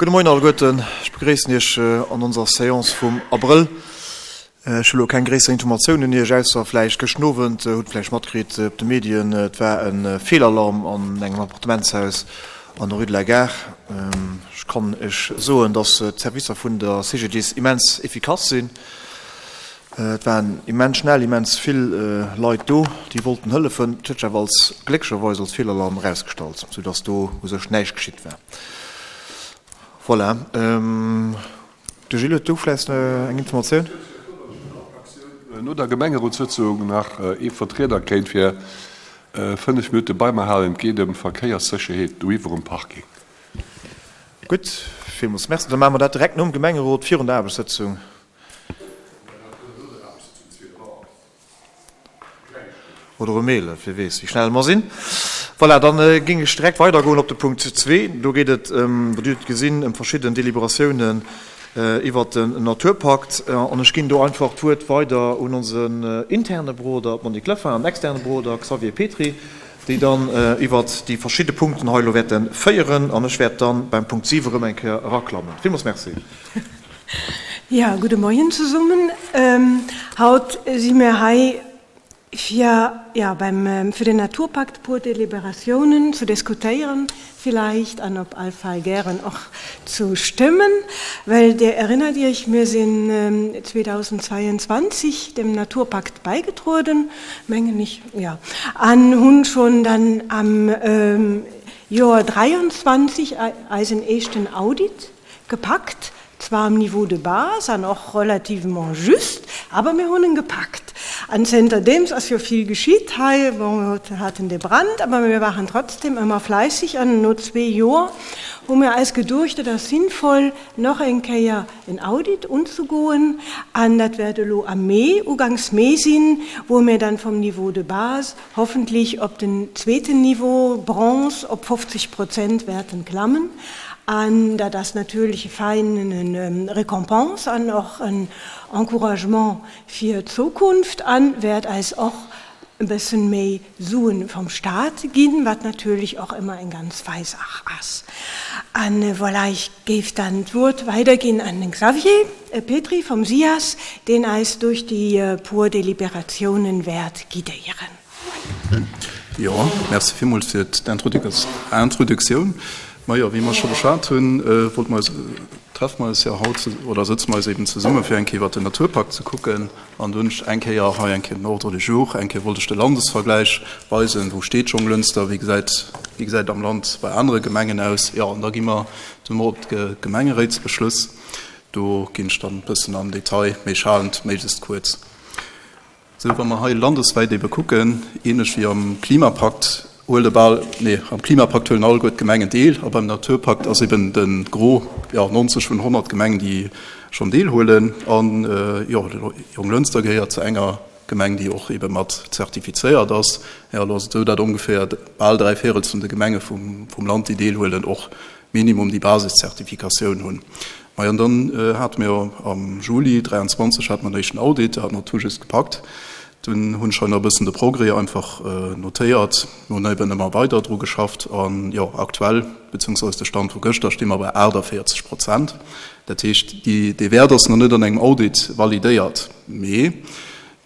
Gudde Moien alleguerten. Ech begréissen Iech an onser Séance vum Abrëll. Ech hu lo keng gréisser Informatiounen un Iech, ausser vläicht gëschten Owend hutt vläicht matkritt op de Medien, et war e Feelalarm an engem Appartementshaus an der Rue de la Gare. Ech kann Iech soen, dass d'Servicer vun der CGDIS immens efficace sinn. Et waren immens schnell immens vill Leit do, déi wollten hëllefen. Et huet sech awer als, glécklecherweis als Feelalarm erausgestallt, soudass do u sech näischt geschitt war. Voilà. De Gilles huet do vläicht eng Informatioun. No der Gemengerotssëtzung nach ee Vertrieder kéint fir 5 Minutte bei mer halen. Et geet ëm Verkéierssécherheet doiwwer um Parking. Gutt, villmools Merci. Da maache mer dat direkt nom Gemengerot virun der Aarbechtssëtzung. Oder um 11, wie weess, wéi schnell mer sinn. Voilà, dann géing ech direkt weidergoen op de Punkt zwee. Do geet et ëm, Dir hutt et gesinn, ëm verschidden Deliberatiounen iwwert den Naturpakt. An ech ginn do einfach d'Wuert weider un onsen interne Beroder Monique Lefin an externe Beroder Xavier Petry, déi dann iwwert déi verschidde Punkten hei elo wäerte féieren. An ech wäert dann beim Punkt 7 erëm eng Kéier eraklammen. Villmools Merci. Ja, gudde Moien zesummen. Haut si mir hei fir, ja, beim, fir den Naturpakt e puer Deliberatiounen ze diskutéieren villäicht an op all Fall gären och zu stëmmen, well Dir erinnert Iech, mir sinn 2022 dem Naturpakt bäigetrueden, mengen ech, jo, an hunn schonn dann am Joer 23 eisen éischten Audit Gepackt, zwar am Niveau de base an och relativement juste, awer mir hunn en gepackt. An zënterdeems ass jo vill geschitt hei. Bon, mir haten de Brand, awer mir waren trotzdem ëmmer fleisseg an no zwee Joer hu mir eis geduecht, et ass sinnvoll, nach eng Kéier en Audit unzegoen. An dat wäert elo am Mee, uganks Mee sinn, wou mir dann vom Niveau de base hoffentlich op den zweeten Niveau, Bronze, op 50 Prozent wäerten klammen. An dat ass natierlech e feinen Récompense an och en Encouragement fir d'Zukunft a wäert eis och e bëssen méi Suen vom Staat ginn, wat natierlech och ëmmer eng ganz fei Saach ass. An voilà, ech géif dann d'Wuert weiderginn an den Xavier Petry vom SIAS, deen eis duerch déi puer Deliberatiounen wäert guidéieren. Jo, merci villmools fir d'Introduktioun. Majo, wéi mer scho beschwat hunn, wollte mer eis, treffe mer eis jo haut oder sëtze mer eis eben zesumme fir eng Kéier iwwert den Naturpakt ze kucken. An do hunn ech eng Kéier hei eng Kéier den Ordre du jour, eng Kéier wollt ech de Landesvergläich weisen, wou steet Jonglënster, wéi gesäit, wéi gesäit et am Land bei anere Gemengen aus. Jo, an da gi mer duerno op d'Gemengeréitsbeschlëss. Do ginn ech dann e bëssen am Detail, mee ech halen et méiglechst kuerz. Sou, wa mer hei landeswäit ebe kucken, ähnlech wéi am Klimapakt, huele bal, nee, am Klimapakt huelen alleguer d'Gemengen deel a beim Naturpakt ass eben de Gros, jo, 90 vun 100 Gemengen, déi schonn deelhuelen. An, jo, Jonglënster gehéiert zu enger Gemeng, déi och ebe mat zertifizéiert ass. Jo, elo ass et esou, datt ongeféier bal dräi Véirels vun de Gemenge vum Land, déi deelhuelen, och minimum déi Basiszertifikatioun hunn. Majo, an dann hate mir jo am Juli 23 hate mer den éischten Audit, do hat mer tout juste gepackt. Dunn hunn ech hei nach e bëssen de Progrès einfach notéiert. Mir hunn eben ëmmer weider dru geschafft an, jo, aktuell, beziehungsweise de Stand vu gëschter, sti mer bei 48 Prozent. Dat heescht, déi, dee Wäert ass nach net an engem Audit validéiert, mee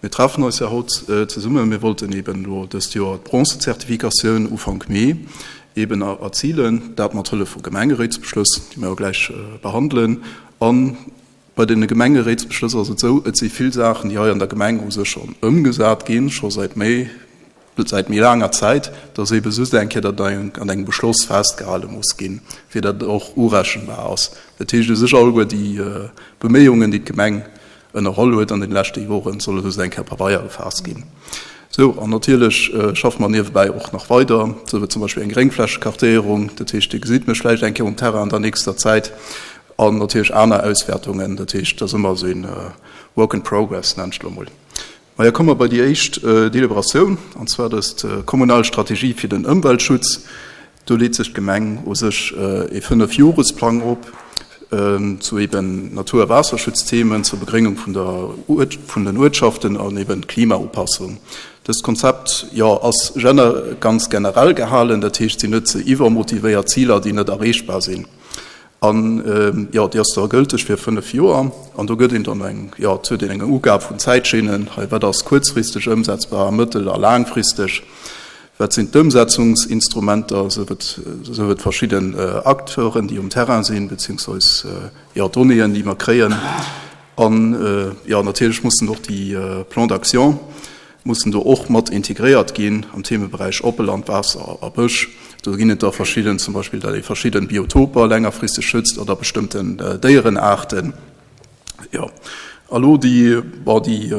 Mir treffen eis jo haut zesummen. Mir wollten eben elo dëst Joer d'Bronzezertifikatioun Ufank Mee eben erzilen, dat mat Hëllef vu Gemengeréitsbeschlëss, déi mir jo gläich behandelen. A bei deene Gemengeréitsbeschlëss ass et esou, et si vill Saachen, déi hei an der Gemeng u sech schonn ëmgesat ginn, scho säit méi, säit méi laanger Zäit, dass ebe just eng Kéier dat an engem Beschloss festgehale muss ginn, fir datt et och urechenbar ass. Dat heescht u sech alleguer déi Beméiungen, déi d'Gemeng ënnerholl huet an den leschte Joren, soll elo eng Kéier op Pabeier gefaasst ginn. Sou, an natierlech schaffe mer niewebäi och nach weider, sou wéi zum Beispill eng Gréngflächekartéierung, dat heescht, Dir gesitt mech vläicht eng Kéier um Terrain an der nächster Zäit, an natierlech aner Auswäertungen, dat heescht, et ass ëmmer esou een Work in progress, nennen ech et elo emol. Majo, komme mer bei déi éischt Deliberatioun, an zwar dëst kommunal Strategie fir den Ëmweltschutz. Do leet sech d'Gemeng u sech ee Fënnefjoresplang op zu eben Natur a Waasserschutzthemen, zur Begréngung vun der vun den Uertschaften an eben d'Klimaupassung. Dëst Konzept, jo, ass ganz generell gehalen, dat heescht, et sinn net ze iwwermotivéiert Ziler, déi net erreechbar sinn. An, jo, déi ass da gëlteg fir 5 Joer. An do gëtt een dann eng, jo, et huet een eng Ugab vun Zäitschinnen, hei wat ass kuerzfristeg ëmsetzbar, mëttel a laangfristeg, wat sinn d'Ëmsetzungsinstrumenter, esou et, esou et verschidden Acteuren, déi um Terrain sinn, beziehungsweis, jo, Donnéeën, déi mer kréien. An, jo, natierlech mussen och déi Plans d'action mussen do och mat integréiert ginn am Themeberäich Oppeland, Waasser a Bësch. Do ginn et da verschidden, zum Beispill datt ee verschidden Biotoper längerfristeg schützt oder bestëmmten Déierenaarten. Jo, a lo déi, bon, déi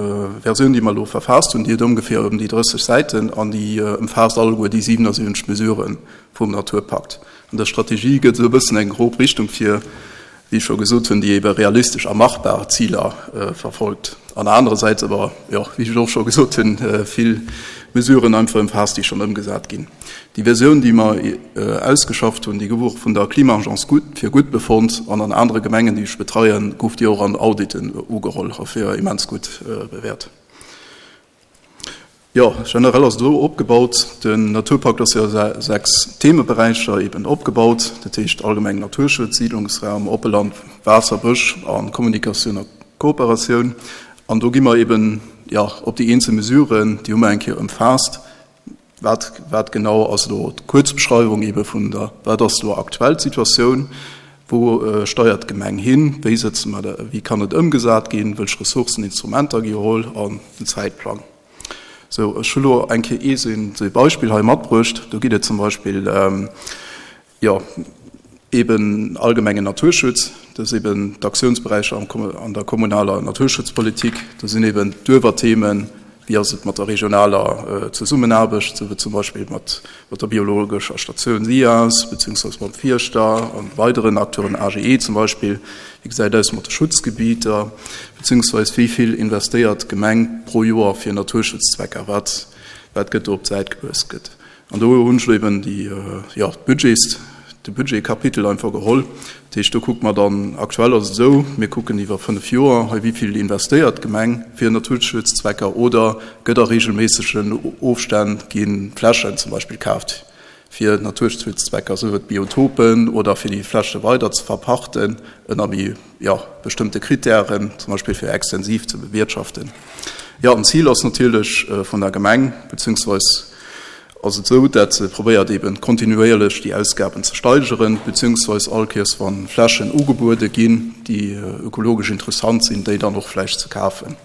Versioun, déi mer elo verfaasst hunn, déi huet ongeféier ëm déi 30 Säiten an déi ëmfaasst alleguer déi 77 Mesurë vum Naturpakt. An der Strategie gëtt esou e bëssen eng grob Richtung vir, wéi ech scho gesot hunn, déi ebe realistesch a machbar Ziler verfolgt an anerersäits awer, jo, wéi ech och scho gesot hunn, vill Mesuren einfach ëmfaasst, déi schonn ëmgesat ginn. Déi Versioun, déi mer ausgeschafft hunn, déi gouf och vun der Klima-Agence gutt, fir gutt befonnt an an anere Gemengen, déi ech betreien, gouf déi och an Auditen ugeholl a fir immens gutt bewäert. Jo, generell ass et esou opgebaut, den Naturpakt ass jo a 6 Themeberäicher eben opgebaut, dat heescht allgemeng Naturschutz, Siidlungsraum, oppe Land, Waasser, Bësch a Kommunikatioun a Kooperatioun. An do gi mer eben, jo, op déi eenzel Mesuren, déi hu mer eng Kéier ëmfaasst, wat, wat genau ass elo d'Kuerzbeschreiwung ebe vun der, wat ass elo aktuell d'Situatioun, wou steiert d'Gemeng hin, wéi sëtze mer, wéi kann et ëmgesat ginn, wëlch Ressourcen, Instrumenter gi geholl an den Zäitplang. Sou, ech hu lo eng Kéier ee sou ee Beispill hei matbruecht. Do geet et zum Beispill, jo, eeben allgemengen Naturschutz. Dat ass eeben d'Aktiounsberäicher an der kommunaler Naturschutzpolitik. Do sinn eeben d'Uewerthemen, wéi ass et mat der regionaler Zesummenaarbecht, sou wéi zum Beispill mat der biologescher Statioun SIAS, beziehungsweise mam Fierschter an weideren Acteuren, AGE zum Beispill. Wéi gesäit et aus mat de Schutzgebieter, beziehungsweise wéi vill investéiert d'Gemeng pro Joer fir Naturschutzzwecker? Wat, wat gëtt do op d'Säit geluecht gëtt? An do hunn ech elo eben déi, jo, d'Budgets, de Budgetkapitel einfach geholl. Dat heescht, do kucke mer dann, aktuell ass et esou, mir kucken iwwer 5 Joer hei, wéi vill investéiert d'Gemeng fir Naturschutzzwecker oder gëtt a regelméissegen Ofstänn gi Flächen zum Beispill kaaft fir Naturschutzzwecker, sou et Biotopen oder fir déi Fläche weider ze verpachten ënner méi, jo, bestëmmte Kritären, zum Beispill fir extensiv ze bewirtschaften. Jo, an d'Zil ass natierlech vun der Gemeng, beziehungsweis ass et esou, dat se probéiert eben kontinuéierlech déi Ausgaben ze steigeren, beziehungsweis all Kéiers wa Flächen ugebuede ginn, déi ökologesch interessant sinn, déi dann och vläicht ze kafen.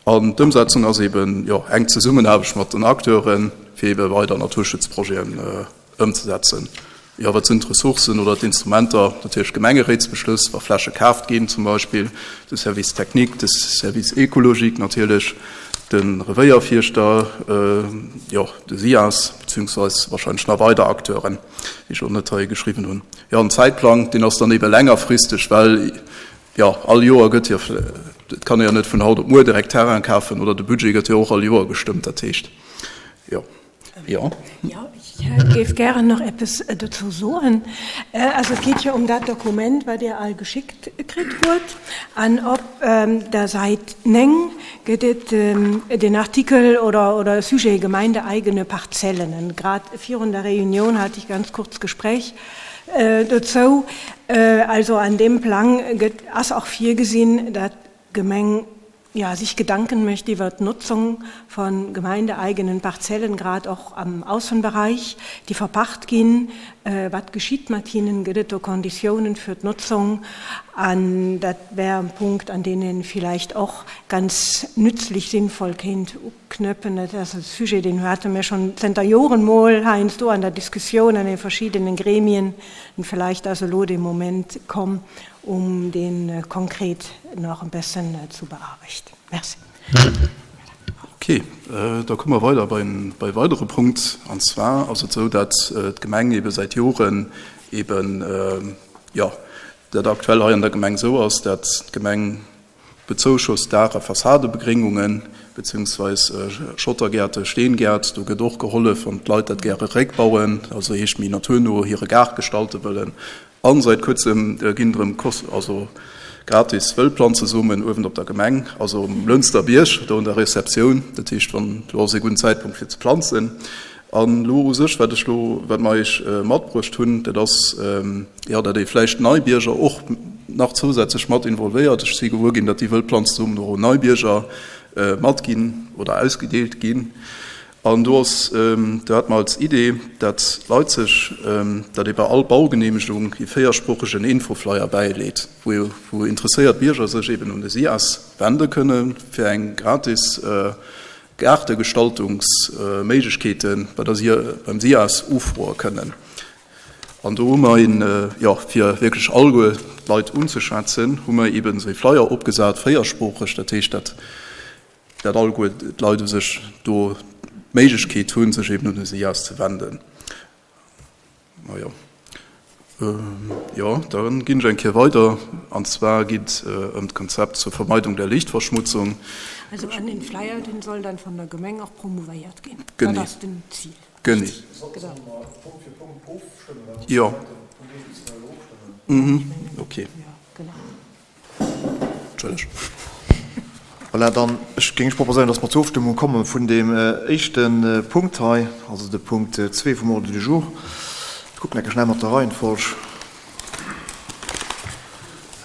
An d'Ëmsetzung ass eben, jo, enk Zesummenaarbecht mat den Acteuren, fir ebe weider Naturschutzprojeten ëmzesetzen. Jo, wat sinn d'Ressourcen oder d'Instrumenter? Natierlech Gemengeréitsbeschlëss, wa Fläche kaaft ginn zum Beispill, de Service technique, de Service écologique natierlech, de Revéierfierschter, jo, de SIAS, beziehungsweis wahrscheinlech nach weider Acteuren, déi ech elo net hei geschriwwen hunn. Jo, an Zäitplang, deen ass dann ebe längerfristeg, well Jo, all Joer gëtt jo, et kann ee jo net vun haut op muer direkt Terrain kafen oder de Budget gëtt jo och all Joer gestëmmt, dat heescht, jo. Jo. Jo, ech géif gären nach eppes dozou soen. Also et geet jo ëm dat Dokument, wat Dir all geschickt kritt hutt. An op der Säit 9 gëtt et den Artikel oder, oder Sujet Gemeindeeigene Parzellen. An grad virun der Reunioun hat ich ganz kurz Gespräch Dozou, also an deem Plang gëtt, ass och virgesinn, dat d'Gemeng, jo, sich Gedanken mécht iwwert d'Notzung von gemeindeeigenen Parzellen, grad och am Aussenbereich, déi verpacht ginn. Wat geschitt mat hinnen? Gëtt et do Konditiounen fir d'Notzung? An dat wär e Punkt, an deen ee villäicht och ganz nützlich, sinnvoll kéint Knöppen, dat ass e Sujet, deen hate mir schonn zënter Joren mol heiansdo an der Diskussioun an de verschiddenen Gremien. An vläicht ass elo de Moment komm, um dee konkret nach e bëssen zu bearbechten. Merci. Okay, da komme mer weider bei e weidere Punkt. An zwar ass et esou, datt d'Gemeng ebe säit Joren eben, jo, dat aktuell hei an der Gemeng esou ass, datt d'Gemeng Bezouschosst Daach a Fassadebegréngungen, beziehungsweis Schottergäerte, Steengäert, do gëtt och gehollef, wann d'Leit dat gäre réckbauen, also heescht méi naturno hire Gaart gestalte wëllen. A säit kuerzem ginn erëm also gratis Wëllplanzesomen uewen op der Gemeng, also um Lënster Bierg, do un der Receptioun. Dat heescht, wann do ass ee gudden Zäitpunkt fir ze planzen. An elo u sech, wat ech elo, wat mer Iech matbruecht hunn, dat ass, jo, datt ee vläicht nei Bierger och nach zousätzlech mat involvéiert. Ech si gewuer ginn, datt déi wëll Planzesummen och un nei Bierger matginn oder ausgedeelt ginn. An do ass, do hate mer als Idee, datt d'Leit sech, datt ee bei all Baugeneemegung ee véiersproochegen Infoflyer bäileet, wou wou interesséiert Bierger sech eben un de SIAS wende kënne fir eng gratis Gaartegestaltungsméiglechkeete bei der SIA, beim SIAS ufroe kënnen. An do hu mer een, jo, fir wierklech alleguer d'Leit unzeschwätzen, hu mer eben esou ee Flyer opgesat, véiersproocheg, dat heescht, datt dat alleguer d'Leit u sech do d'Méiglechkeet hunn, sech eben un de SIAS ze wenden. Majo, jo, da ginn ech eng Kéier weider. An zwar geet et ëm d'Konzept zur Vermeidung der Lichtverschmutzung. Also an den Flyer, deen soll dann von der Gemeng och promouvéiert ginn. Genee. Dat ass den Zil. Genee. Jo. Okay. Entschëlleg. Voilà, dann ech géing ech proposéieren, dass mer zur Ofstëmmung komme vun deem éischte Punkt hei, also de Punkt zwee vum Ordre du jour. Ech kucken enke schnell mat der Reihenfolg.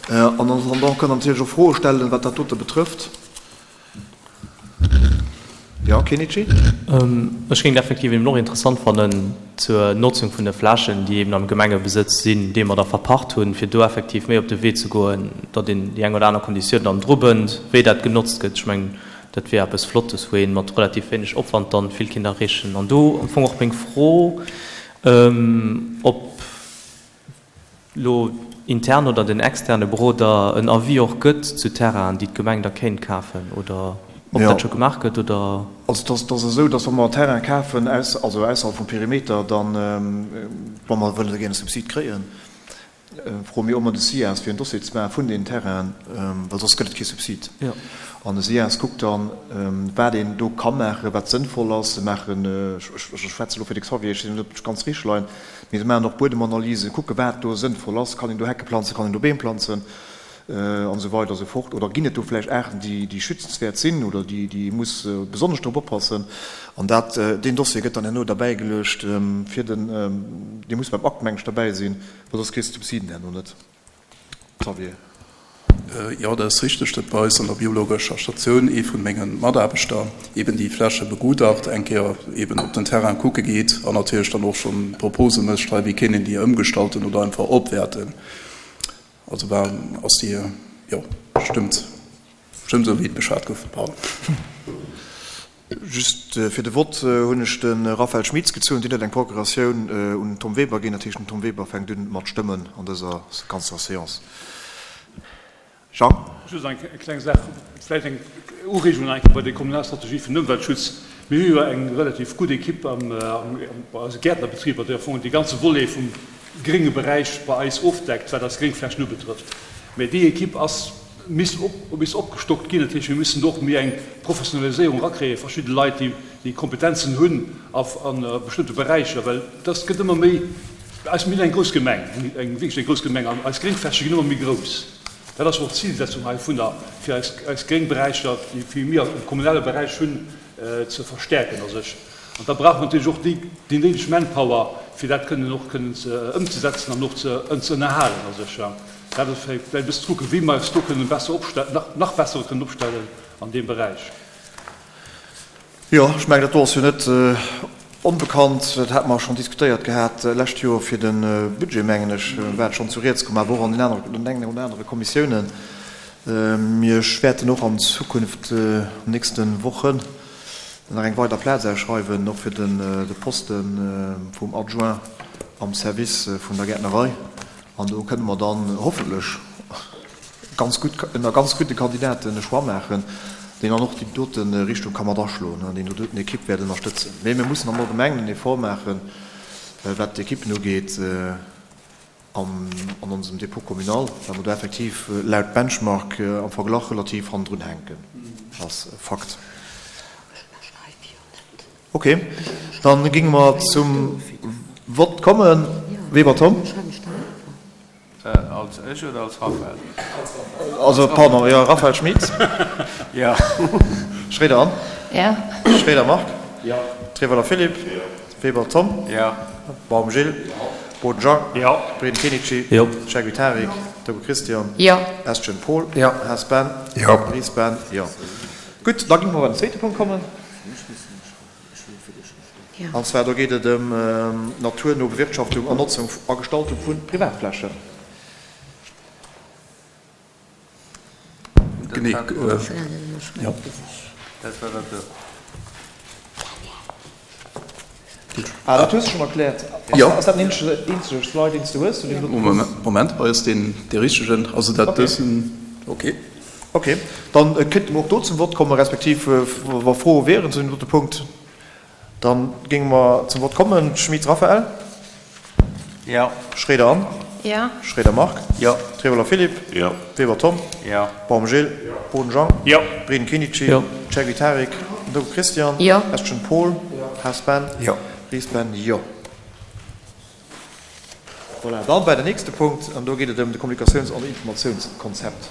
An en attendant kënnt Der natierlech och Froe stellen, wat dat dote betrëfft. Jo, Kenichi? Ech géing et effektiv eben och interessant fannen zur Notzung vun de Flächen, déi eben am Gemengebesëtz sinn, déi mer da verpacht hunn, fir do effektiv méi op de Wee ze goen, datt een déi eng oder aner Konditioun dann drubënnt, wéi dat genotzt gëtt. Ech mengen, dat wier eppes Flottes, wou ee mat relativ wéineg Opwand dann vill kinnt erreechen. An do am Fong och meng Fro, ob lo intern oder den externe Beroder en Avis och gëtt zu Terrainen, déi d'Gemeng da kéint kafen, oder ob dat scho gemaach gëtt, oder? Also et ass esou, datt wa mer Terraine kafen, also ausserhalb vum Perimeter, dann, wa mer wëlle gären e Subsid kréien, froe mir ëmmer de SIAS, fir en Dossier ze maache vun deenen Terrainen, well soss gëtt et kee Subsid. An de SIAS kuckt dann, wat een do ka maachen, wat sënnvoll ass. Se maachen, ech schwätze elo fir de Xavier, ech weess net, ob ech ganz richteg leien, Mee se maachen och Buedemanalysen, kucke wat do sënnvoll ass, kann een do Hecke planzen, kann een do Beem planzen an esou weider esou fort. Oder ginn et do vläicht Aarten, déi schützenswäert sinn oder déi ee muss besonnesch drop oppassen. An dat, deen Dossier gëtt dann herno derbäigeluecht fir den, dee muss beim Akt, meng ech, derbäi sinn, well soss kriss de d'Subsiden herno net. Xavier. Jo, dat ass richteg, datt bei eis an der biologescher Statioun ee vun menge Mataarbechter eben déi Fläche begutacht, eng Kéier eben op den Terrain kucke geet an natierlech dann och schonn Propose mécht, hei wéi kéint een déi ëmgestalten oder einfach opwäerten. Also war, ass déi, jo, stëmmt, stëmmt esou wéi et beschwat gouf, pardon. Just fir de Vott hunn ech de Raphaël Schmitz gezunn. Deen huet eng Procuratioun un den Tom Weber ginn. Dat heescht, den Tom Weber fänkt un mat stëmmen an dëser ganzer Seance. Jean? Just eng kleng Saach, vläicht eng Ureegung nach eng Kéier bei der kommunaler Strategie fir den Ëmweltschutz. Mir hu jo eng relativ gutt Ekipp bei eise Gäertnerbetriber, déi am Fong dee ganze Volet vum grénge Beräich bei eis ofdeckt, wat eis Gréngflächen ubetrëfft. Mä déi Ekipp ass misst op misst opgestockt ginn. Dat heescht, mir müssen do och méi eng Professionaliséierung erakréien, verschidde Leit, déi déi Kompetenzen hunn a bestëmmte Beräicher, well dass gëtt ëmmer méi, eis, mir sinn eng grouss Gemeng, eng wierklech eng grouss Gemeng, an eis Gréngfläche ginn ëmmer méi grouss. Dat ass och d'Zilsetzung heivunner, fir eis eis Gréngberäicher, déi mir am kommunale Beräich hunn, ze verstärken a sech. An da brauche mer natierlech och déi déi néideg Manpower, fir dat kënnen och kënnen ze ëmzesetzen an och ze ze ënnerhalen a sech. Dat ass vläicht e bëssen ze kucken, wéi mer eis do kënnen besser opstellen, nach nach besser kënnen opstellen an deem Beräich. Jo, ech mengen, dat do ass jo net onbekannt. Dat hate mer schonn diskutéiert gehat d'lescht Joer fir de Budget, mengen ech, war et schonn zu Rieds komm, awer och an den anere, an engen oder anere Kommissiounen. Mir wäerten och an Zukunft, an den nächste Wochen, nach eng weider Plaz ausschreiwen, och fir de Poste vum Adjoint am Service vun der Gäertnerei. An do kënne mer dann hoffentlech ganz gutt, ënner ganz gudde Kandidaten e Choix maachen, deen dann och déi dote Richtung ka mat aschloen an deen do doten Ekipp wäert ënnerstëtzen. Mee mir mussen am Allgemengen en Effort maachen, wat d'Ekippen ugeet an onsem Dépôt communal, well mer do effektiv laut Benchmark am Verglach relativ hannendrun hänken. Ass e Fakt. Ok, dann géinge mer zum Vott kommen. Weber Tom. Als ech oder als Raphaël? Also, pardon, jo, Raphaël Schmitz. Jo. Schréider Anne. Jo. Schréider Marc. Jo. Treweiler Philippe. Jo. Weber Tom. Jo. Baum Gilles. Boden Jean. Jo. Breden Kenichi. Jo. Chergui Tarik. Dogo Christian. Jo. Estgen Paul. Jo. Haas Ben. Jo. Ries Ben. Jo. Gutt, da géinge mer bei den zweete Punkt kommen. An zwar do geet et ëm d'naturno Bewirtschaftung an Notzung a Gestaltung vu Privatflächen. Genee, jo. Ah, dat hues de schonn erkläert. Jo. Ass dat den eenzege Slide, deen s de hues zu deem doten Punkt? Moment, hei ass deen dee richtegen. Also dat dësen, okay. Okay, dann kéinte mer och do zum Wort kommen, respektiv wa Froe wieren zu deem dote Punkt. Dann géinge mer zum Wort kommen. Schmit Raphaël. Jo. Schroeder Anne. Jo. Schroeder Marc. Jo. Trevoller Philippe. Jo. Weber Tom. Jo. Baum Gilles. Jo. Boden Jean. Jo. Breden Kenichi. Jo. Chergui Tarik. Ndogo Christian. Jo. Estgen Paul. Jo. Haas Ben. Jo. Ries Ben. Jo. Voilà, dann bei den nächste Punkt, an do geet et ëm de Kommunikatiouns an Informatiounskonzept.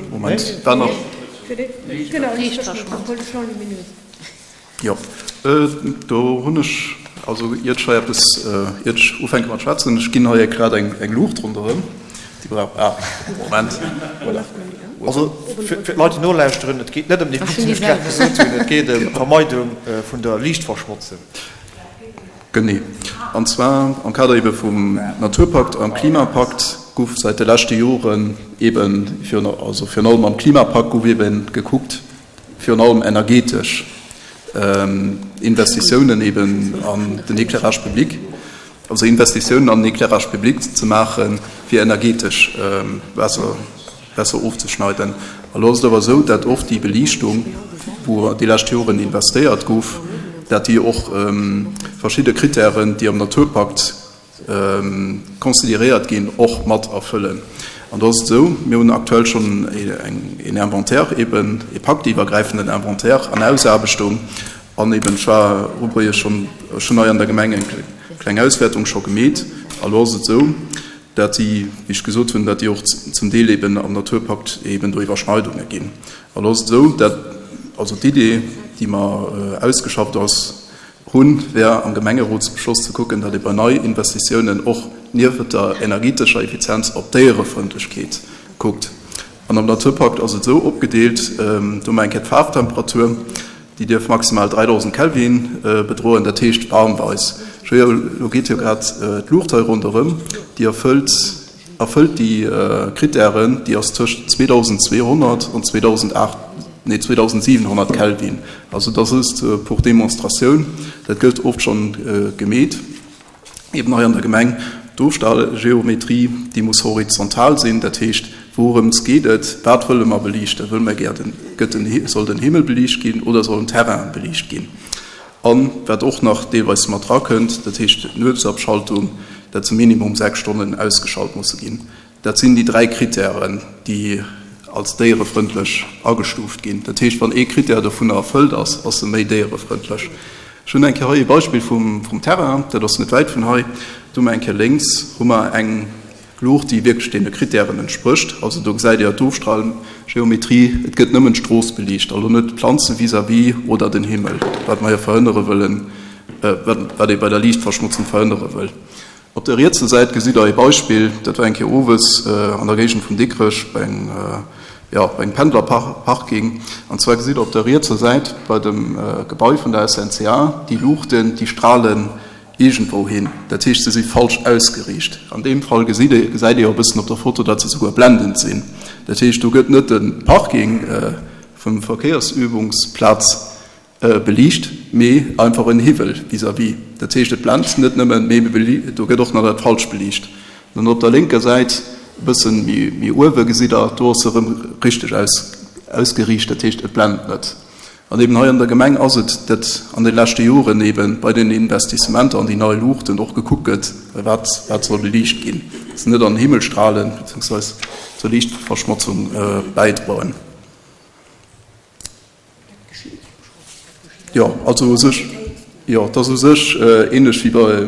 Moment, war nach. Jo, do hunn ech, also iert ech hei eppes, iert ech ufänke mat schwätzen, ech ginn hei grad eng Luucht ronderëm, déi brauch, ah, Moment, voilà. Also fir d'Leit, déi nolauschteren, et geet net ëm déi Luucht, déi ech grad gesot hunn, et geet ëm d'Vermeidung vun der Liichtverschmotzung. Genee. An zwar am Kader ebe vum Naturpakt an Klimapakt guff säit de leschte Joren eben, also virun allem am Klimapakt guff eben gekuckt, virun allem energetesch Investitiounen eben an den Éclairage public, also Investitiounen an den Éclairage public ze maachen, fir energetesch besser besser ofzeschneiden. Elo ass et awer esou, dat oft déi Beliichtung, wou déi lescht Joren investéiert gouf, dat déi och verschidde Kritären, déi am Naturpakt consideréiert ginn, och mat erfëllen. An do ass et esou, mir hunn aktuell schonn een Inventaire, eben ee paktiwwergräifenden Inventaire an Ausaarbechtung. An eben, ech war ubriech schonn, ech hunn hei an der Gemeng eng kleng Auswäertung scho gemeet. A lo ass et esou, dat déi, wéi ech gesot hunn, dat déi och zum Deel eben am Naturpakt eben do Iwwerschneidunge ginn. A lo ass et esou, dat also d'Idee, déi mer ausgeschafft ass, hunn, wär am Gemengerotsbeschloss ze kucken, datt ee bei Neiinvestitiounen och niewent der energetescher Effizienz op d'Déierefrëndlechkeet kuckt. An am Naturpakt ass et esou opgedeelt, do hu mer eng Kéier d'Faarftemperatur, Déi dierf maximal 3000 Kelvin bedroen, dat heescht warmweis. Elo geet jo grad d'Luucht hei ronderëm, déi erfëllt erfëllt déi Krittären, déi ass tëscht 2200 an 2008, nee 2700 Kelvin. Also dat ass just pour Demonstratioun, dat gëtt oft schonn gemeet. Eben hei an der Gemeng, d'Ofstallgeometrie, déi muss horizontal sinn, dat heescht, wourëms geet et, wat wëlle mer beliichten, wëlle mer gär den, gëtt den, soll den Himmel beliicht ginn oder soll den Terrain beliicht ginn? An wat och nach deelweis mat drakënnt, dat heescht d'Nuetsabschaltung, dat se minimum 6 Stonnen ausgeschalt musse ginn. Dat sinn déi 3 Kritären, déi als déierefrëndlech agestuuft ginn. Dat heescht, wann ee Kritär dovunner erfëllt ass, ass e méi déierefrëndlech. Ech hunn eng Kéier hei e Beispill vum Terrain, dat ass net wäit vun hei. Do hu mer eng Kéier lénks hu mer eng Luucht, déi wierklech deene Kritären entsprécht. Also do gesäit Dir d'Ofstralgeometrie, et gëtt nëmmen d'Strooss beliicht, also net d'Planze vis-à-vis oder den Himmel, wat mer jo verhënnere wëllen, wat ee bei der Liichtverschmotzung verhënnere wëll. Op der rietser Säit gesitt der ee Beispill, dat war eng Kéier owes an der Géigend vun Dikrech bei engem, jo, bei engem Pendlerparking. An zwar gesitt der op der rietser Säit bei dem Gebai vun der SNCA déi Luuchten, déi stralen iergendwou hin. Dat heescht, se si falsch ausgeriicht. An deem Fall gesitt ee, gesäit ee och e bëssen op der Foto, datt se souguer blendend sinn. Dat heescht, do gëtt net de Parking vum Verkéiersübungsplaz Beliicht, mee einfach en Hiwwel vis-à-vis. Dat heescht, et blent net nëmmen, mee do gëtt och nach dat Falscht beliicht. Dann op der lénker Säit, e bëssen méi uewe, gesitt Der, do ass se erëm richteg ausgeriicht, dat heescht, et blent net. An eben hei an der Gemeng ass et, datt an de leschte Joren eben bei den Investissementer an déi nei Luuchten och gekuckt gëtt, wat wat soll beliicht ginn, dass se net an den Himmel strahlen, beziehungsweise zur Liichtverschmotzung bäidroen. Jo, also u sech, jo, et ass u sech ähnlech wéi bei,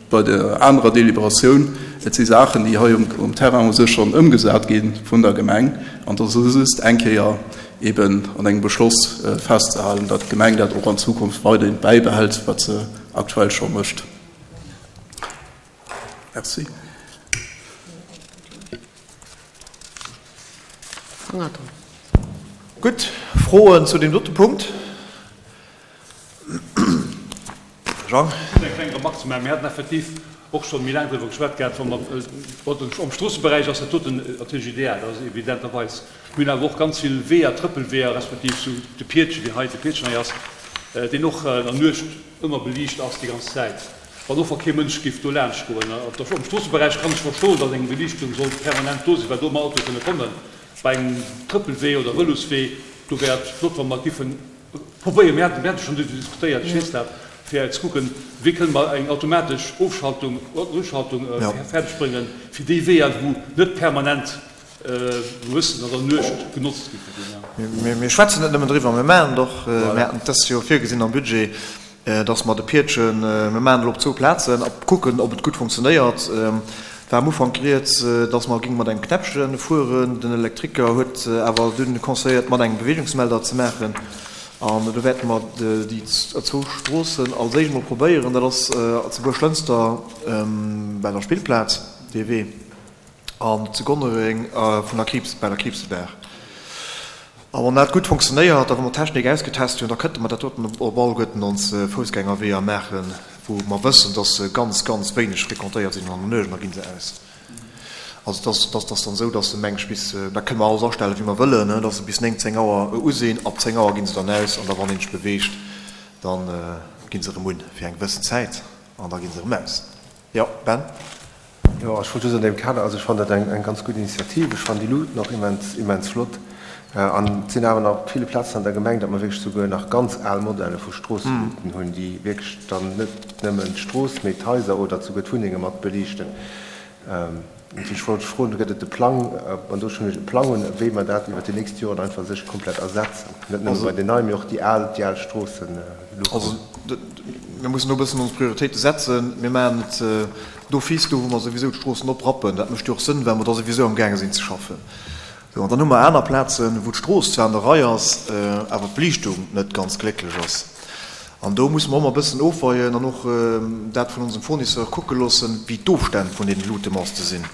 bei der anerer Deliberatioun. Et si Saachen, déi hei um, um Terrain u sech schonn ëmgesat gi vun der Gemeng. An et ass just eng Kéier eben an engem Beschloss festzehalen, datt d'Gemeng dat och an Zukunft weiderhin bäibehält, wat se. aktuell scho mécht. Merci. Gutt, Froen zu deem dote Punkt? Jean? Eng kleng Remark ze maachen. Mir haten effektiv och scho méi laang driwwer geschwat gehat, wa mer, am Stroosseberäich ass dat doten natierlech ideal, dat ass evidenterweis. Mir hunn awer och ganz vill Weeër, Trëppelweeër, respektiv sou de Piedchen, wéi hei de Piedchen hei ass, deen och an der Nuecht ëmmer beliicht ass déi ganz Zäit, wann och wa kee Mënsch géif do laanscht goen. Am Stroosseberäich kann ech verstoen, datt eng Beliichtung soll permanent do sinn, well do ëmmer Autoe kënne kommen. Bei engem Trëppelwee oder Vëloswee, do wär et flott, wa mer giffen probéieren, mir haten, mir hate schonn doriwwer diskutéiert, ech weess dat, fir ze kucken, wéi kënne mer eng automatesch Ofschaltung, Uschaltung fäerdeg bréngen, fir déi Weeër, wou net permanent mussen an der Nuecht genotzt gi fir déi. Mir schwätzen net nëmmen driwwer, mir maachen et och. Mir haten dëst Joer virgesinn am Budget, dass mer de Piedchen, mir maachen et elo op zwou Plazen a kucken, ob et gutt funktionéiert. Et war am Ufank rieds, dass mer géinge mat engem Knäppche fueren. Den Elektriker huet awer dunn conseilléiert, mat engem Beweegungsmelder ze maachen. An do wäerte mer déi zwou Stroossen als éischt emol probéieren. Dat ass zu Buerglënster bei der Spillplaz, dee Wee, an zu Gonnereng vun der Kriibs, bei der Kriibsebaach. A wann dat gutt funktionéiert a wa mer d'Technik ausgetest hunn, da kënnte mer dat doten op alleguerten ons Foussgängerweeër maachen, wou mer wëssen, dass se ganz, ganz wéineg fréquentéiert sinn an der Nuecht, an da gi se aus. Also et ass, et ass dann esou, dass se meng ech bis, dat kënne mer alles astellen, wéi mer wëllen, dass se bis 9, 10 Auer u sinn. Ab 10 Auer gi se dann aus an da wann een sech beweegt, da gi se erëm un fir eng gewëssen Zäit an da gi se erëm aus. Jo, Ben? Jo, ech wollt just an deem Kader, also ech fannen dat eng ganz gutt Initiativ, ech fannen déi Luuten och immens, immens flott. An et sinn awer nach op ville Plazen an der Gemeng, datt mer wierklech souguer nach ganz al Modelle vu Stroosseluuten hunn, déi wierklech dann net nëmmen d'Strooss, mee d'Haiser oder souguer d'Wunnenge mat beliichten. Ech wollt froen, gëtt et e Plang, an do schonn e Plang hunn, wéi mer dat iwwert déi nächst Joren einfach sech komplett ersetzen, net nëmme bei den neien, mee och déi al, déi al Stroosseluuchten? Also, mir mussen do e bëssen ons Prioritéite setzen. Mir maachen et d'office do, wou mer souwisou d'Stroossen oprappen. Dat mécht jo och Sënn, well mer da souwisou amgaange sinn ze schaffen. Sou, an dann hu mer aner Plazen, wou d'Strooss zwar an der Rei ass, awer d'Beliichtung net ganz glécklech ass. An do musse mer och emmer e bëssen ofweien an och dat vun onsem Fournisseur kucke loossen, wéi d'Ofstänn vun deene Lutemaste sinn.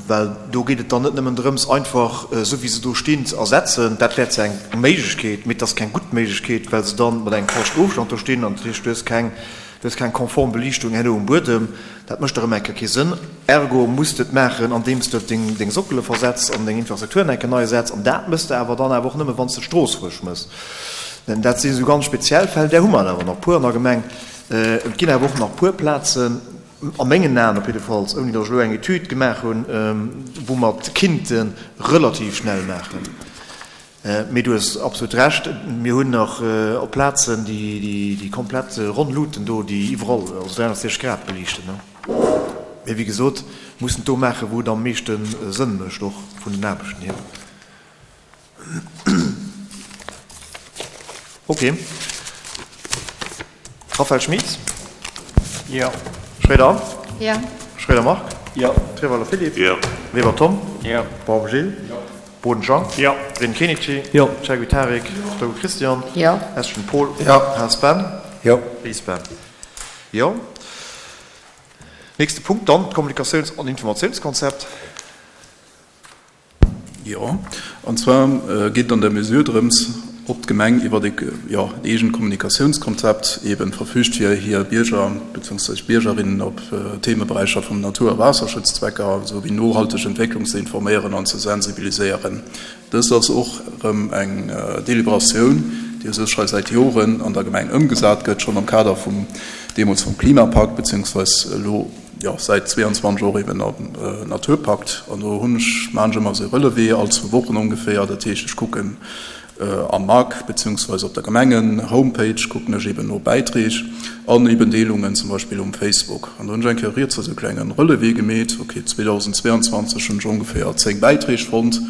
Well do geet et dann net nëmmen drëms, einfach esou wéi se do stinn ze ersetzen. Dat wär zwar eng Méiglechkeet, mee et ass keng gutt Méiglechkeet, well se dann mat engem falschen Ofstand do stinn an dat heescht, du hues keng, du hues keng konform Beliichtung herno um Buedem. Dat mécht erëm eng Kéier kee Sënn. Ergo muss de et maachen, andeems de deng Sockele versetz an deng Infrastrukturen eng Kéier nei setz. An dat mëss de awer dann awer och nëmme wann s de d'Strooss frësch mëss. Denn dat si sou ganz speziell Fäll, där hu mer awer nach puer an der Gemeng. Et ginn awer och nach puer Plazen, a mengen Aen op jiddefalls, ouni datt ech elo eng Etüd gemaach hunn, wou mer et kinnte relativ schnell maachen. Mee du hues absolut Recht, mir hunn nach op Plazen déi komplett ronn Luuten do, déi iwwerall, also 360 Grad beliichten. Mee wéi gesot, mussen et do maachen, wou et am meeschte Sënn mécht, och vun den Aarbechten hier. Ok. Raphaël Schmit? Jo. Schroeder Anne? Jo. Schroeder Marc? Jo. Treweiler Philippe? Jo. Weber Tom? Jo. Baum Gilles? Jo. Boden Jean? Jo. Breden Kenichi? Jo. Chergui Tarik? Jo. Togo Christian? Jo. Eschen Paul? Jo. Haas Ben? Jo. Ries Ben? Jo. Nächste Punkt dann, d'Kommunikatiouns an Informatiounskonzept. Jo, an zwar geet et an der Mesure drëms, ob d'Gemeng iwwer e, jo, en eegent Kommunikatiounskonzept eeben verfügt, fir hir Bierger beziehungsweise Biergerinnen op Themeberäicher vum Natur a Waasserschutzzwecker esou wéi nohalteg Entwécklung ze informéieren an ze sensibiliséieren. Dëst ass och erëm eng Deliberatioun, déi u sech hei säit Joren an der Gemeng ëmgesat gëtt, schonn am Kader vum, deemools vum Klimapakt beziehungsweise elo, jo, säit 22 och eben am Naturpakt. An do hunn ech, maachen ech ëmmer esou e Relevé, all zwou Wochen ongeféier. Dat heescht, ech kucken am Mag beziehungsweise op der Gemengen-Homepage kucken ech eben no Bäitreeg an eben Deelungen, zum Beispill um Facebook. An do hunn ech eng Kéier riets esou e klenge Relevé gemeet, ok, 2022 hunn ech ongeféier 10 Bäitreeg fonnt,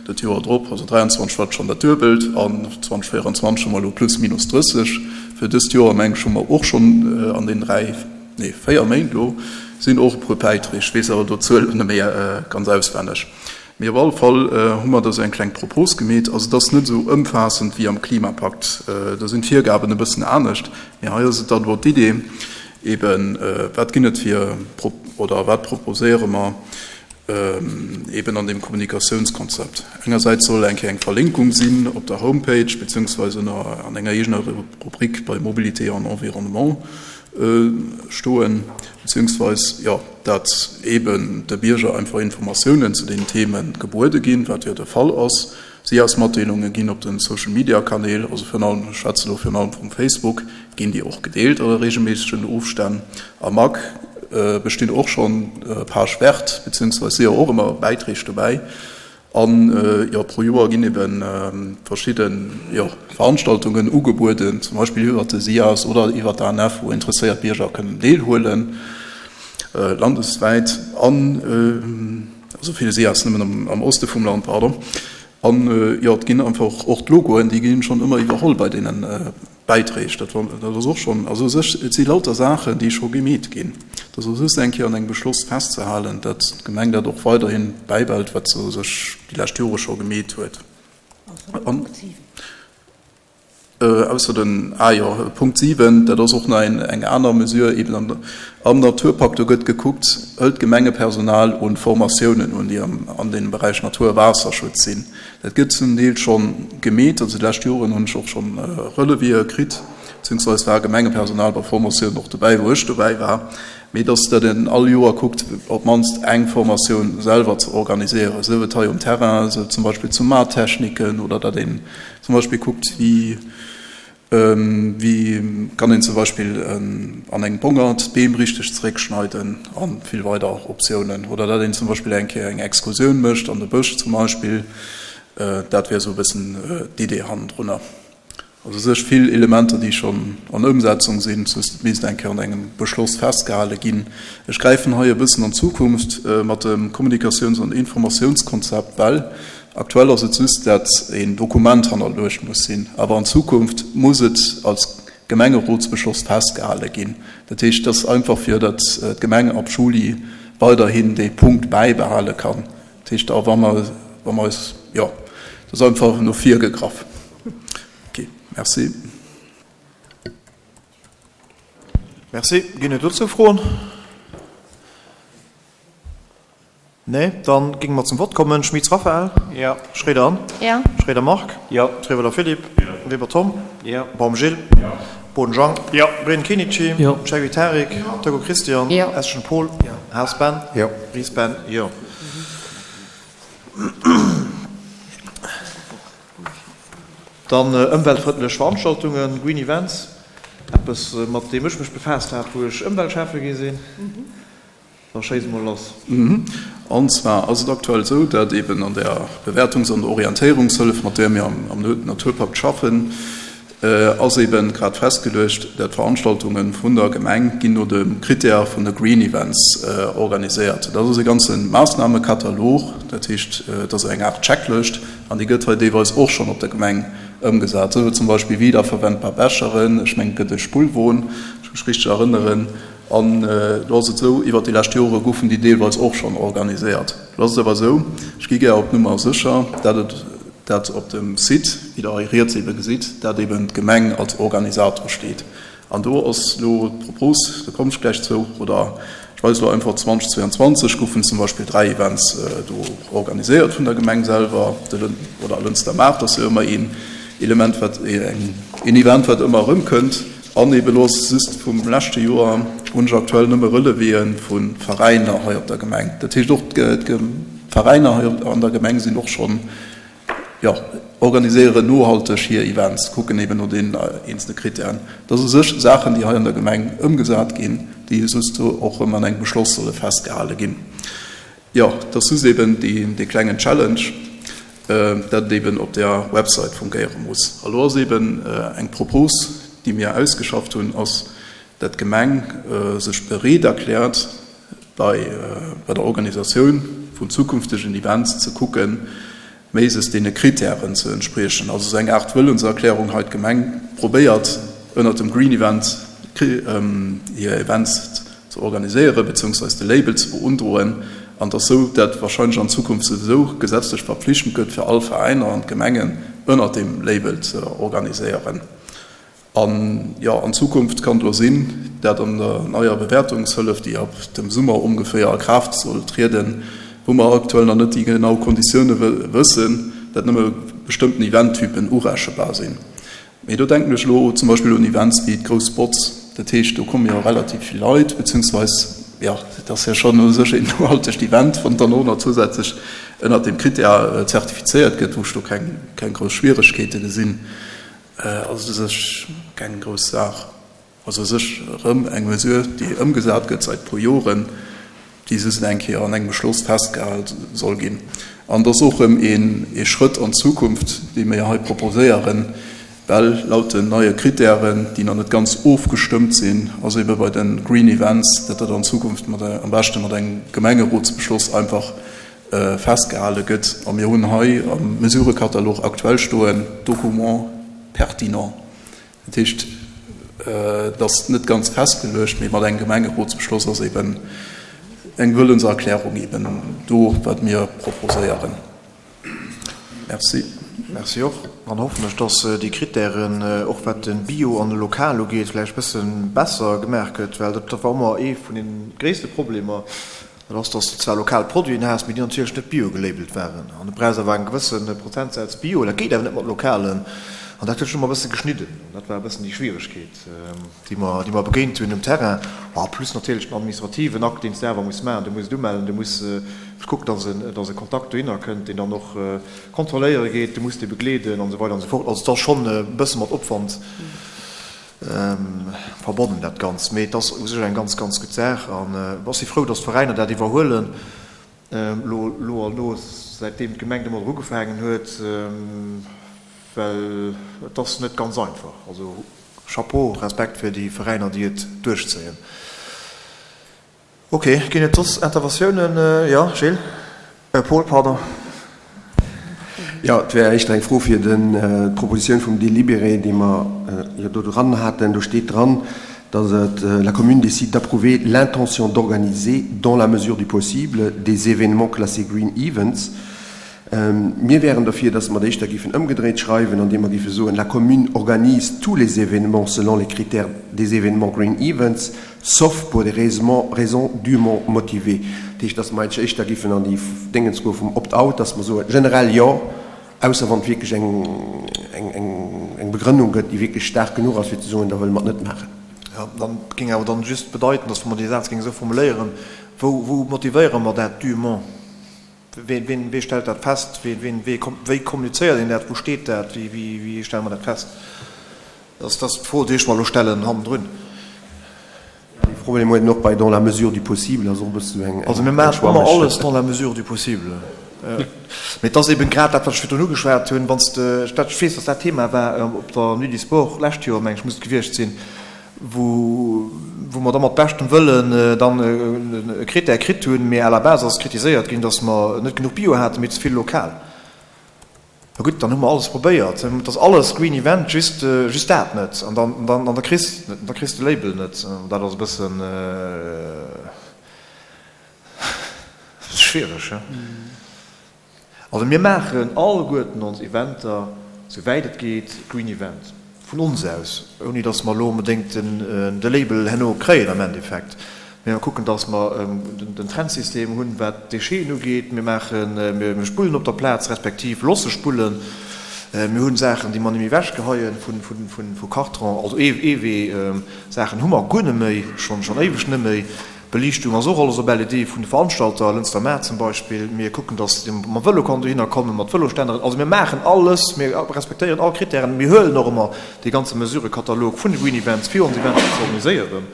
dat Joer drop, also 23 war et schonn dat Duebelt an 2024 hu mer elo plus minus 30. Fir dëst Joer, meng ech, hu mer och schonn an den dräi, nee 4 Méint elo sinn och e puer Bäiträg, ech weess awer do d'Zuel net méi ganz auswenneg. Mee op alle Fall hu mer da sou eng kleng Propos gemeet. Also et ass net esou ëmfaassend wéi am Klimapakt, do sinn d'Virgaben e bëssen anescht. Mee hei ass et dann elo d'Idee eben, wat ginn et fir oder wat proposéiere mer eben an deem Kommunikatiounskonzept. Engersäits soll eng Kéier eng Verlinkung sinn op der Homepage beziehungsweise ënner an enger eegener Rubrik bei Mobilité en environnement stoen, beziehungsweise, jo, dat eben de Bierger einfach Informatiounen zu den Themen gebuede ginn, wat jo de Fall ass. SIAS-Matdeelunge ginn op den Social-Media-Kanäl, also virun allem, ech schwätze elo virun allem vum Facebook, ginn déi och gedeelt a reegelméissegen Ofstänn. Am Mag bestinn och schonn Page verte, beziehungsweise si jo och ëmmer Bäiträg dobäi. An jo, pro Joer ginn ebe verschidde jo Veranstaltungen ugebueden, zum Beispill iwwert de SIAS oder iwwert d'ANF, wou interesséiert Bierger kënnen deelhuelen, landeswäit an, also fir de SIAS nëmmen am Oste vum Land, pardon. An jo, et ginn einfach och d'Logoen, déi ginn schonn ëmmer iwwerholl bei deene Bäiträg, dat war, dat ass och schonn, also u sech, et si lauter Saachen, déi scho gemeet ginn. Et ass just eng Kéier an engem Beschloss festzehalen, datt d'Gemeng dat och weiderhi bäibehält, wat se u sech déi lescht Jore scho gemeet huet. An ausser den, ah jo, Punkt 7, dat ass och nach eng aner Mesure eben am, am Naturpakt, do gëtt gekuckt, hëlt d'Gemengepersonal un Formatiounen un, déi am, an deem Beräich Natur a Waasserschutz sinn. Dat gëtt zum Deel schonn gemeet, also déi lescht Joren hunn ech och schonn Relevéë kritt, beziehungsweise war Gemengepersonal bei Formatiounen och dobäi, wou ech dobäi war, mee dass dat een all Joer kuckt, op d'mannst eng Formatioun selwer ze organiséieren, sief et hei um Terrain, sief et zum Beispill zu Maarttechniken oder datt een zum Beispill kuckt, wéi Wéi kann een zum Beispill an engem Bongert d'Beem richteg zeréckschneiden a vill weider Optiounen. Oder dat een zum Beispill eng Kéier eng Exkursioun mécht an de Bësch zum Beispill. Dat wier esou e bëssen d'Idee hannendrunner. Also u sech vill Elementer, déi schonn an Ëmsetzung sinn, just et misst eng Kéier an engem Beschloss festgehale ginn. Ech gräifen hei e bëssen an d'Zukunft mat dem Kommunikatiouns an Informatiounskonzept, well Aktuell ass et just, dat een Dokument hannerluecht muss sinn, awer an Zukunft muss et als Gemengerotsbeschloss festgehale ginn. Dat heescht, et ass einfach fir datt d'Gemeng ab Juli weiderhin dee Punkt bäibehale kann. Dat heescht, a wa mer, wa mer eis, jo, dat ass einfach no vir gegraff. Ok, merci. Merci. Ginn et dozou Froen? Nee, dann géinge mer zum Vott kommen. Schmitz Raphaël. Jo. Schroeder Anne. Jo. Schroeder Marc. Jo. Trewelder Philippe. Jo. Weber Tom. Jo. Baum Gilles. Jo. Boden Jean. Jo. Breden Kenichi. Jo. Cheikhoui Tarik. Jo. Togo Christian. Jo. Eschen Paul. Jo. Haas Ben. Jo. Ries Ben. Jo. Dann ëmweltfrëndlech Veranstaltungen, Green Events, eppes mat deem ech mech befaasst hat, wou ech Ëmweltschäffe gi sinn. Da schéiss mol lass. An zwar ass et aktuell esou, dat eben an där Bewäertungs an Orientéierungshëllef, mat där mir am Naturpakt schaffen, ass eben grad festgeluecht, dat d'Veranstaltunge vun der Gemeng ginn no de Critèrë vun de Green Events organiséiert. Dat ass e ganze Maassnamekatalog, dat heescht, et ass eng Aart Checklëscht an déi gëtt hei deelweis och schonn op der Gemeng ëmgesat. Esou zum Beispill wiederverwendbar Becheren, ech mengen et gëtt e Spullwon, wann ech mech richteg erënneren, An do ass et esou, iwwert déi lescht Jore goufen déi deelweis och schonn organiséiert. Lo ass et awer esou, ech gi gär op Nummer sécher, dat et dat op dem Site, wéi Der hei riets ebe gesitt, dat eben d'Gemeng als Organisator steet. An do ass elo d'Propos, do kommen ech gläich zou, oder ech weise elo einfach, 2022 goufen zum Beispill 3 Events do organiséiert vun der Gemeng selwer, de oder Lënster Maart ass jo ëmmer een Element, wat een Event, wat ëmmer erëmkënnt. An ebe lo just vum leschte Joer hunn ech aktuell nëmme Relevéë vu Veräiner hei op der Gemeng. Dat heescht och d'Veräiner hei an der Gemeng sinn och schonn, jo, organiséieren nohalteg hir Events, kucken eben no deenen eenzele Krittären. Dat ass u sech Saachen, déi hei an der Gemeng ëmgesat ginn, déi just och erëm an engem Beschloss solle festgehale ginn. Jo, et ass just eben dee klengen Challenge, dat et eben op där Website fungéiere muss. A lo ass eben eng Propos, déi mir ausgeschafft hunn, ass, dat d'Gemeng sech bereet erkläert, bei der Organisatioun vun zukünftegen Events ze kucken, méises deene Kritären ze entspriechen. Also esou eng Aart Wëllenserklärung hei, d'Gemeng probéiert ënnert dem Green Event hir Events ze organiséieren, beziehungsweise de Label ze beundroen. An et ass esou, dat wahrscheinlech an Zukunft souwisou gesetzlech verpflichtend gëtt fir all Veräiner an d'Gemengen ënnert deem Label ze organiséieren. An jo, an Zukunft kann et elo sinn, dat an der neier Bewäertungshëllef, déi ab dem Summer ongeféier a Kraaft soll trieden, wou mer aktuell nach net déi genau Konditioune wëssen, dat nëmme bestëmmten Eventtypen urechebar sinn. Mee do denken ech elo zum Beispill un Events wéi d'Grouss Botz. Dat heescht, do komme jo relativ vill Leit, beziehungsweis, jo, dat ass jo schonn u sech een nohaltegt Event, wann et dann och nach zusätzlech ënnert deem Krittär zertifizéiert gëtt, wou ech do keng, keng grouss Schwieregkeete gesinn. Ass et u sech keng grouss Saach. Also u sech erëm eng Mesure, déi ëmgesat gëtt säit e puer Joren, déi just eng Kéier an engem Beschloss festgehal soll ginn. An et ass och erëm ee Schrëtt an d'Zukunft, dee mir hei proposéieren, well laut den neie Kritären, déi nach net ganz ofgestëmmt sinn, ass ebe bei de Green Events, dat dat an Zukunft mat am beschte mat engem Gemengerotsbeschloss einfach festgehale gëtt. A mir hunn hei am Mesurëkatalog aktuell stoen, Documents pertinents. Dat heescht, et ass net ganz festgeluecht, mee mat engem Gemengerotsbeschloss ass eben eng Wëllenserklärung eben do, wat mir proposéieren. Merci. Merci och. Dann hoffen ech, dass déi Krittären, och wat de Bio an de Lokal ugeet, vläicht e bësse besser gemaach gëtt, well dat war ëmmer ee vun de gréisste Problemer, Dat ass, dass de zwar lokal Produiten has, mee déi natierlech net bio gelabelt waren. An du brauchs awer eng gewësse Prozentsaz bio, dat geet awer net mat lokalen. An dat huet sech ëmmer e bësse geschnidden. An dat war e bëssen déi Schwieregkeet, déi mer, déi mer begéint hunn um Terrain. A plus natierlech den administrativen Akt, deen s de awer muss maachen. Du muss et umellen, du muss kucken, dass en, dass e Kontakt dohinner kënnt, deen dann och kontrolléiere geet, du muss dee begleeden an esou weider an esou fort. Also et ass schonn e bësse mat Opwand. Verbonnen dat Ganzt. Mee et ass u sech eng ganz, ganz gutt Saach an ech si frou, datt d'Veräiner dat iwwerhuelen elo, elo an elo, säitdeem d'Gemeng domadder ugefaangen huet, well et ass net ganz einfach. Also Chapeau, Respekt fir déi Veräiner, déi et duerchzéien. Ok, ginn et soss Interventiounen? Jo, Gilles, Paul, pardon. Jo, et wär éischter eng Fro fir den, d'Propositioun vum Délibéré, déi mer jo do dran haten. Do steet dran, datt et, La commune décide d'approuver l'intention d'organiser, dans la mesure du possible, des événements classés Green Events. Mir wären derfir, dass mer et éischter géifen ëmgedréit schreiwen, andeem mer géife soen, La commune organise tous les événements selon les critères des événements Green Events, sauf pour des raisons dûment motivées. Dat heescht, dass mer eigentlech éischter géifen an déi Déngens goe vum Opt-out, dass mer soen, generell jo, ausser wann et wierklech eng Begrënnung gëtt, déi wierklech staark genuch ass, fir ze soen, da wëlle mer et net maachen. Jo, dann géing awer dann just bedeiten, dass wa mer dee Saz géinge esou formuléieren, wou, wou motivéiere mer dat dûment? Ween, wee stellt dat fest? Ween, wee, wéi kommunizéiert een dat? Wou steet dat? Wéi, wéi, wéi stelle mer dat fest? Dat ass d'Fro, déi ech mer elo stellen hannendrun. Dee Problem huet een och bei dans la mesure du possible, ass och e bësse sou eng. Also mir maachen ëmmer alles dans la mesure du possible. Mee et ass eben grad dat, wat ech virdrun ugeschwat hunn, wann s de, ech weess, datt dat Thema war op der Nuit du Sport d'lescht Joer, meng ech, muss et gewiescht sinn, wou wou mer da mat beschtem Wëllen dann e Critère kritt hunn, mee à la base ass kritiséiert ginn, datt mer net genuch Bio haten, mee ze vill lokal. Na gutt, dann hu mer alles probéiert, et ass alles Green Event, just just dat net. An dann dann an da kriss da kriss de Label net. An dat ass e bëssen schwiereg, he. Also mir maachen alleguerten ons Eventer, sou wäit et geet, Green Event, vun ons aus, ouni datt mer elo onbedéngt de Label herno kréien am Endeffekt. Mee mer kucken, datt mer den Trennsystem hunn, wat d'Décheten ugeet. Mir maachen, mir spullen op der Plaz, respektiv losse spullen. Mir hunn Saachen, déi mer net méi ewechgeheien vu Karton, also Eewee-Saachen hu mer guer net méi, schonn éiweg net méi. Beliichtung ass och alles op LED vun de Veranstalter, Lënster Maart zum Beispill. Mir kucken, dass ee mam Vëlo kann dohinner kommen, mat Vëlostänneren. Also mir maachen alles, mir respektéieren all Krittären. Mir huelen och ëmmer dee ganze Mesurëkatalog vun de Green Events, fir ons Eventer ze organiséieren.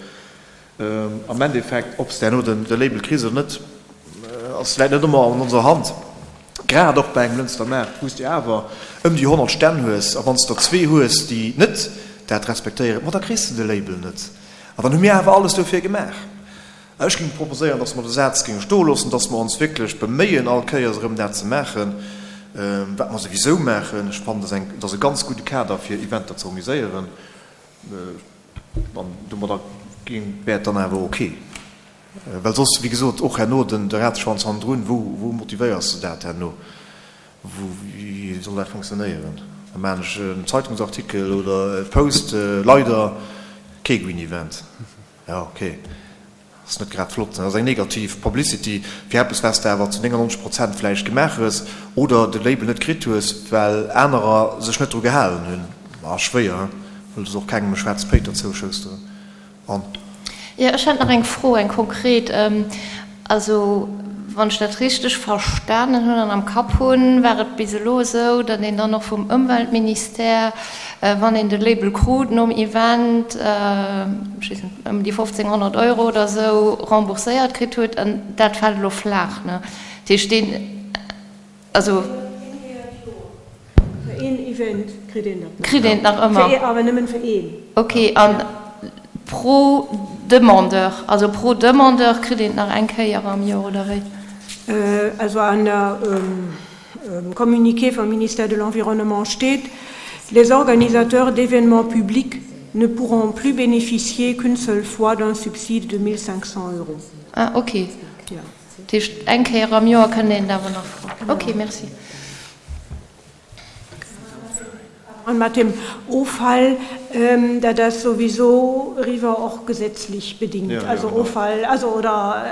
Am Endeffekt, ob s de herno de Label kriss oder net, ass läit net ëmmer an onser Hand. Grad och bei engem Lënster Maart, wou s de awer ëm déi 100 Stänn hues, a wann s de der zwee hues, déi net dat respektéieren, ma da kriss de de Label net. An dann hu mir awer alles dofir gemaach. Ech géing proposéieren, dass mer de Saz géinge stoe loossen, dass mer ons wierklech beméien, all Kéiers erëm dat ze maachen, wat mer souwisou maachen. Ech fannen, dat ass e ganz gudde Kader, fir Eventer ze organiséieren. An domadder géing, wär et dann awer ok. Well soss, wéi gesot, och herno den de Rateschwanz hannendrun, wou, wou motivéiers de dat herno? Wou, wéi soll dat funktionéieren? Da maachen ech en Zeitungsartikel oder e Post, leider kee Green Event. Jo, okay. Ass net grad flott. Dat ass eng negativ Publicity fir eppes, wat s de awer zu 99 Prozent vläicht gemaach hues oder de Label net kritt hues, well anerer sech net dru gehalen hunn. Ma schwéier, wëlls och kengem e schwaarze Péiter zouschousteren. An. Jo, ech hätt nach eng Fro, eng konkret. Also, wann ech dat richteg verstanen hunn an am Kapp hunn, war et bis elo esou, datt een dann och vum Ëmweltministère, wann een de Label krut nom Event, ech weess net, ëm déi 1.500 Euro oder esou rembourséiert kritt huet. An dat fält elo flaach, ne? Dat heescht, deen, also. Fir een Event kritt een dat nach. Kritt een et nach ëmmer? Fir ee, awer nëmmen fir een. Ok, an pro Demandeur, also pro Demandeur kritt een et nach eng Kéier am Joer, oder wéi? Also an der Communiqué vum Ministère de l'Environnement steet, Les organisateurs d'événements publics ne pourront plus bénéficier qu'une seule fois d'un subside de 1 500 euros. Ah, ok. Dat heescht, eng Kéier am Joer kënnt een et awer nach froen. Ok, merci. An mat dem Offall, dat ass souwisou eriwwer och gesetzlech bedingt. Also Offall, also oder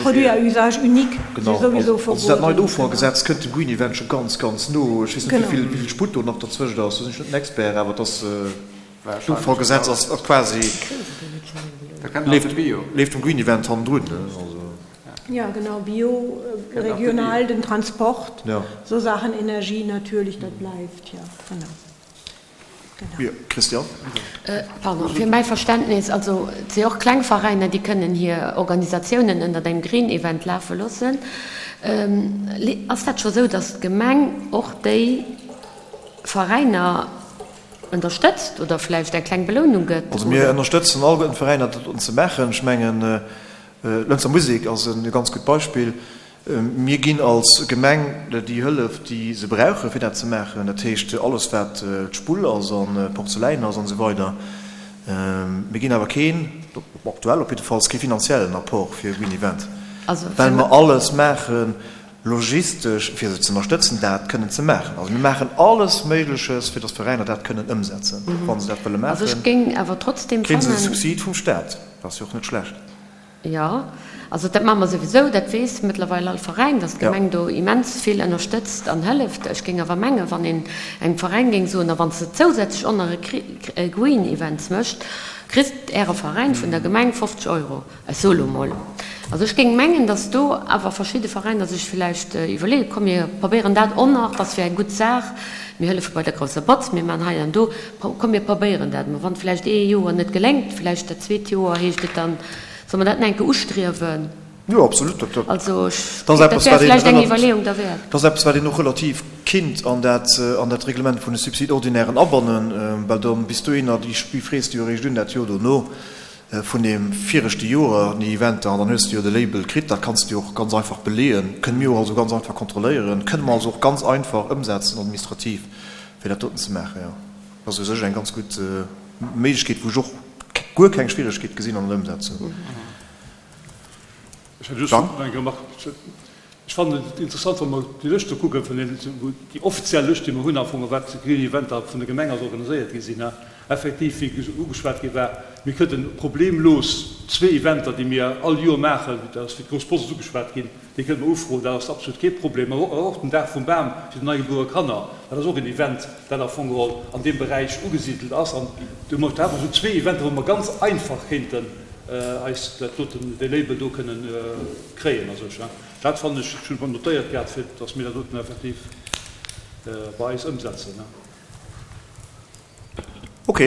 Produits à usage unique si souwisou verbueden. Also dat neit Offallgesetz kënnt dem Green Event scho ganz, ganz no. Ech weess net, wéi vill Sputt do nach derzwëscht ass, do sinn ech net den Expert, awer et ass, d'Offallgesetz ass quasi, leeft dem Green Event hannendrun. Ja, genau, Bio, regional, den Transport, so Sachen, Energie natürlich, dat bleift, ja, genau. Genau. Christian? Pardon, fir mäi Verständnis, also et si och kleng Veräiner, déi kënnen hir Organisatiounen ënnert engem Green Event lafe loossen. Ass dat scho sou, datt d'Gemeng och déi Veräiner ënnerstëtzt oder vläicht eng kleng Belounung gëtt? Also mir ënnerstëtzen alleguerten d'Veräiner, dat doten ze maachen. Ech mengen, D'Lënzer Musek ass e ganz gutt Beispill. Mir ginn als Gemeng déi Hëllef, déi se brauchen, fir dat ze maachen. Dat heescht, alles wat d'Spull ass a Porzeläin ass an esou weider. Mir ginn awer keen, aktuell op jiddefalls, kee finanziellen Apport fir e Green Event, well mer alles maachen, logistesch, fir se ze ënnerstëtzen, dat kënnen ze maachen. Also mir maachen alles Méigleches, fir datt d'Veräiner dat kënnen ëmsetzen. Wa se dat wëlle maachen, kréie se e Subsid vum Staat. Dat ass jo och net schlecht. Jo, also dat maache mer souwisou, dat weess mëttlerweil all Veräin, datt d'Gemeng do immens vill ënnerstëtzt an hëlleft. Ech géing awer mengen, wann een engem Veräin géing soen, a wann s de zousätzlech och nach e Green Events mécht, kritt Äre Veräin vun der Gemeng 50 Euro. Ech soe lo mol. Also ech géing mengen, datt do awer verschidde Veräiner sech villäicht iwwerleeën, komm mir probéieren dat och nach, dat ass jo eng gutt Saach, mir hëllefe bei der grousser Botz, mir maachen hei an do, komm mir probéieren dat emol. Wann vläicht ee Joer net geléngt, vläicht dat zweet Joer heescht et dann, solle mer dat nach eng Kéier ustriewen? Jo, absolut. Dat, Also ech, dat ass dat wär vläicht eng Iwwerleeung derwäert. Dat ass eppes, wat een och relativ kinnt an dat, an dat Reglement vun de Subside-ordinairen abannen, well dann bis dohinner, déi frees de jo eréischt un dat Joer dono vun deem viregte Joer, déi Eventer, an dann hues de jo de Label kritt. Dat kanns de jo och ganz einfach beleeën, kënne mir jo also ganz einfach kontrolléieren, kënne mer also och ganz einfach ëmsetzen administrativ, fir dat doten ze maachen, jo. Dat ass u sech eng ganz gutt Méiglechkeet, wou ech och guer keng Schwieregkeet gesinn an der Ëmsetzung. Ech hätt just nach eng Remarque. Ech fannen et interessant, wa mer déi Lëscht do kucken, vun deenen, wou déi offiziell Lëscht, déi mer hunn am Fong, wat Green Eventer vun der Gemeng aus organiséiert gi sinn, effektiv, wéi ugeschwat gi war, mir kënnten problemlos zwee Eventer, déi mir all Joer maachen, dat ass wéi d'Grouss Post ass ugeschwat ginn, Déi kënnt mer ufroen, dat ass absolut kee Problem. Mä och den Dag vum Bam fir déi neigebuere Kanner, dat ass och en Event, dat am Fong geholl an deem Beräich ugesidelt ass. An do hu mer awer esou zwee Eventer, wou mer ganz einfach kéinten eis dat doten, dee Label do kënnen kréien a sech. Dat fannen ech, ech hunn et mer notéiert gehat, fir datt mir dat doten effektiv bei eis ëmsetzen. Ok.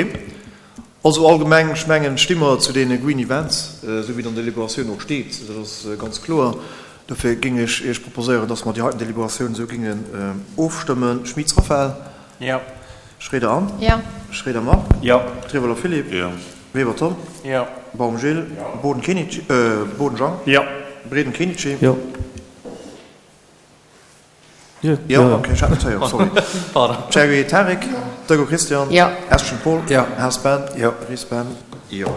Also allgemeng, ech mengen, sti mer zu deene Green Events, esou wéi et an der Deliberatioun och steet. Dat ass ganz kloer. Dofir géing ech Iech proposéieren, dass mer déi heiten Deliberatioun esou géingen ofstëmmen. Schmitz Raphaël. Jo. Schroeder Anne. Jo. Schroeder Marc. Jo. Trieweler Philippe. Jo. Weber Tom. Jo. Baum Gilles. Jo. Boden Kenichi, Boden Jean. Jo. Breden Kenichi. Jo. Jo, ok, ech hat net héieren, sorry. Cherry Tarik, Deugo Christian, Jo. Eschen Paul, Jo. Haas Ben, Jo. Ries Ben, Jo.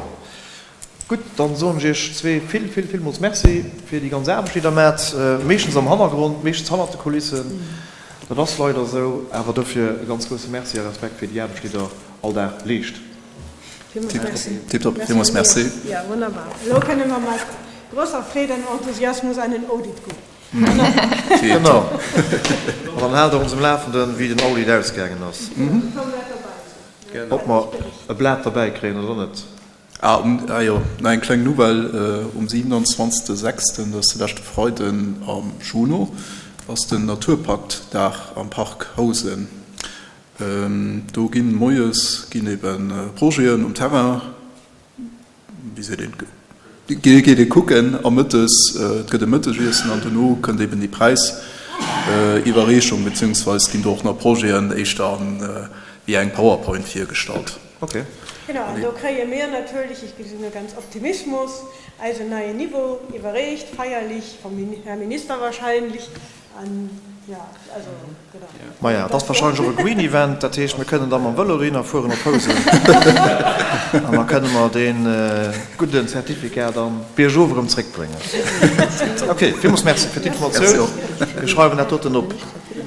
Gutt, dann soen ech Iech zwee vill, vill, villmools Merci fir déi ganz Aarbecht, déi Der maacht, meeschtens am Hannergrond, meeschtens hannert de Kulissen. Dat ass leider esou, awer dofir e ganz grousse Merci a Respekt fir déi Aarbecht, déi Der all Dag leescht. Villmools Merci. Tiptop, villmools Merci. Ja, wunnerbar. Elo kënne mer mat grosser Freed an Enthusiasmus an den Audit goen. Genau. An dann haalt Der ons um Lafenden, wéi den Audit ausgaangen ass. Ob mer e Blat derbäi kréien oder net. Ah, um, ah jo, nach eng kleng Nouvelle, Um 27. Sechsten, dat ass de leschte Freiden am Juno, ass den Naturpaktdag am Park Housen. Do ginn moies ginn eben Projeten um Terrain, wéi seet een, geet ee kucken a mëttes, et gëtt e Mëttegiessen an dono kënnt eben déi Präisiwwerreechung, beziehungsweis ginn do och nach Projeten éischter an wéi eng Powerpoint virgestallt. Ok. Genau, an do kréie mir natierlech, ech gesinn do ganz Optimismus, eisen neien Niveau iwwerreecht, feierlich vom Här Minister wahrscheinlich, an jo, also genau. Maja, et ass wahrscheinlech och e Green Event, dat heescht, mir kënnen da mam Vëlo dohinner fueren op Housen an da kënne mer dee gudden Certificat dann biergof erëm zréckbréngen. Ok, villmools Merci fir d'Informatioun. Mir schreiwen dat doten op.